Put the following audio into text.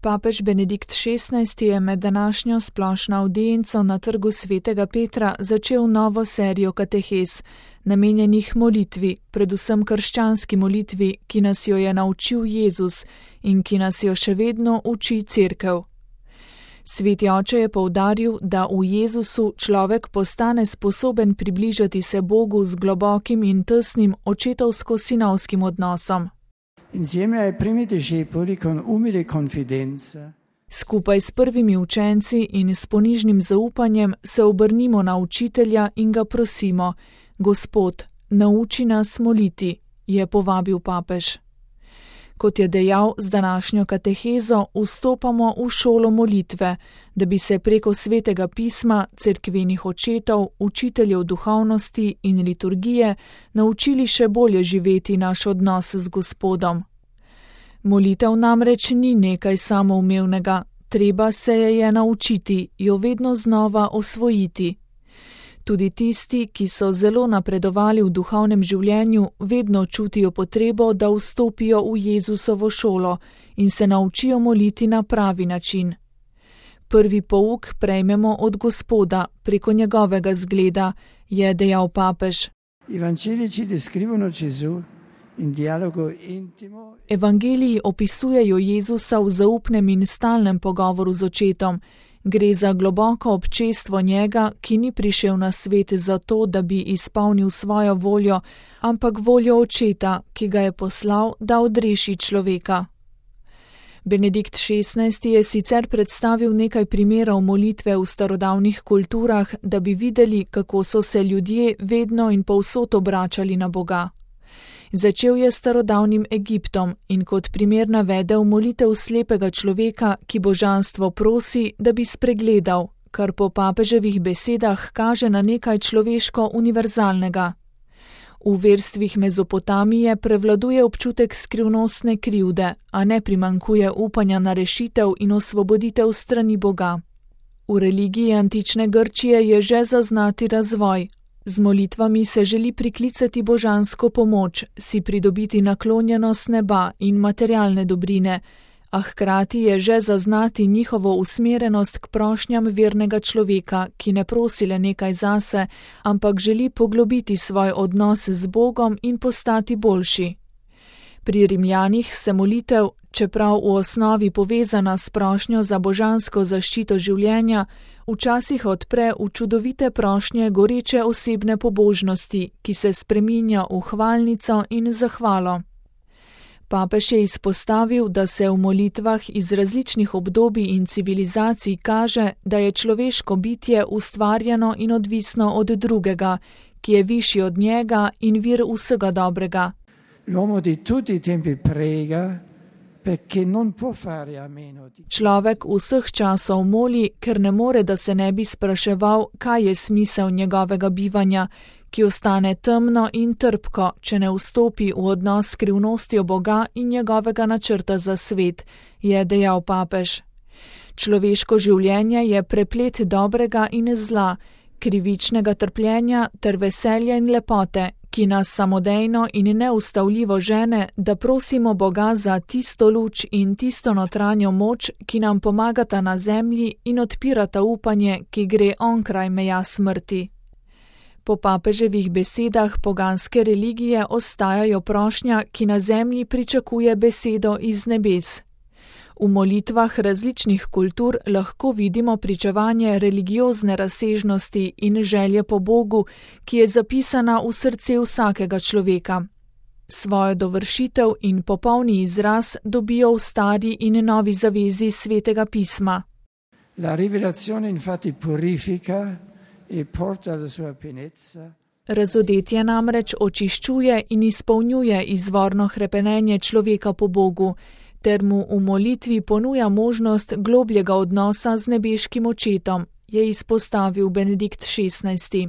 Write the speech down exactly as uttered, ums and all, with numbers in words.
Papež Benedikt šestnajsti je med današnjo splošno avdienco na Trgu svetega Petra začel novo serijo katehez, namenjenih molitvi, predvsem krščanski molitvi, ki nas jo je naučil Jezus in ki nas jo še vedno uči Cerkev. Sveti oče je poudaril, da v Jezusu človek postane sposoben približati se Bogu z globokim in tesnim očetovsko-sinovskim odnosom. Insieme ai primi discepoli con umile confidenza. Skupaj s prvimi učenci in s ponižnim zaupanjem se obrnimo na učitelja in ga prosimo: Gospod, nauči nas moliti, je povabil papež. Kot je dejal, z današnjo katehezo vstopamo v šolo molitve, da bi se preko svetega pisma, cerkvenih očetov, učiteljev duhovnosti in liturgije naučili še bolje živeti naš odnos z Gospodom. Molitev namreč ni nekaj samoumevnega, treba se je je naučiti, jo vedno znova osvojiti. Tudi tisti, ki so zelo napredovali v duhovnem življenju, vedno čutijo potrebo, da vstopijo v Jezusovo šolo in se naučijo moliti na pravi način. Prvi pouk prejmemo od Gospoda preko njegovega zgleda, je dejal papež. Evangeliji opisujejo Jezusa v zaupnem in stalnem pogovoru z očetom. Gre za globoko občestvo njega, ki ni prišel na svet zato, da bi izpolnil svojo voljo, ampak voljo očeta, ki ga je poslal, da odreši človeka. Benedikt šestnajsti je sicer predstavil nekaj primerov molitve v starodavnih kulturah, da bi videli, kako so se ljudje vedno in povsod obračali na Boga. Začel je s starodavnim Egiptom in kot primer navedel molitev slepega človeka, ki božanstvo prosi, da bi spregledal, kar po papeževih besedah kaže na nekaj človeško univerzalnega. V verstvih Mezopotamije prevladuje občutek skrivnostne krivde, a ne primanjkuje upanja na rešitev in osvoboditev strani Boga. V religiji antične Grčije je že zaznati razvoj. Z molitvami se želi priklicati božansko pomoč, si pridobiti naklonjenost neba in materialne dobrine, a hkrati je že zaznati njihovo usmerjenost k prošnjam vernega človeka, ki ne prosi le nekaj zase, ampak želi poglobiti svoj odnos z Bogom in postati boljši. Pri Rimljanih se molitev, čeprav v osnovi povezana s prošnjo za božansko zaščito življenja, včasih odpre v čudovite prošnje goreče osebne pobožnosti, ki se spreminja v hvalnico in zahvalo. Papež je izpostavil, da se v molitvah iz različnih obdobij in civilizacij kaže, da je človeško bitje ustvarjeno in odvisno od drugega, ki je višji od njega in vir vsega dobrega. L'uomo di tutti i tempi prega, perché non può fare a meno di... Človek vseh časov moli, ker ne more, da se ne bi spraševal, kaj je smisel njegovega bivanja, ki ostane temno in trpko, če ne vstopi v odnos s skrivnostjo Boga in njegovega načrta za svet, je dejal papež. Človeško življenje je preplet dobrega in zla, krivičnega trpljenja ter veselja in lepote, ki nas samodejno in neustavljivo žene, da prosimo Boga za tisto luč in tisto notranjo moč, ki nam pomagata na zemlji in odpirata upanje, ki gre onkraj meja smrti. Po papeževih besedah poganske religije ostajajo prošnja, ki na zemlji pričakuje besedo iz nebes. V molitvah različnih kultur lahko vidimo pričevanje religiozne razsežnosti in želje po Bogu, ki je zapisana v srce vsakega človeka. Svojo dovršitev in popolni izraz dobijo v stari in novi zavezi svetega pisma. La rivelazione infatti purifica e porta alla sua pienezza. Razodetje namreč očiščuje in izpolnjuje izvorno hrepenenje človeka po Bogu, ter mu v molitvi ponuja možnost globljega odnosa z nebeškim očetom, je izpostavil Benedikt šestnajsti.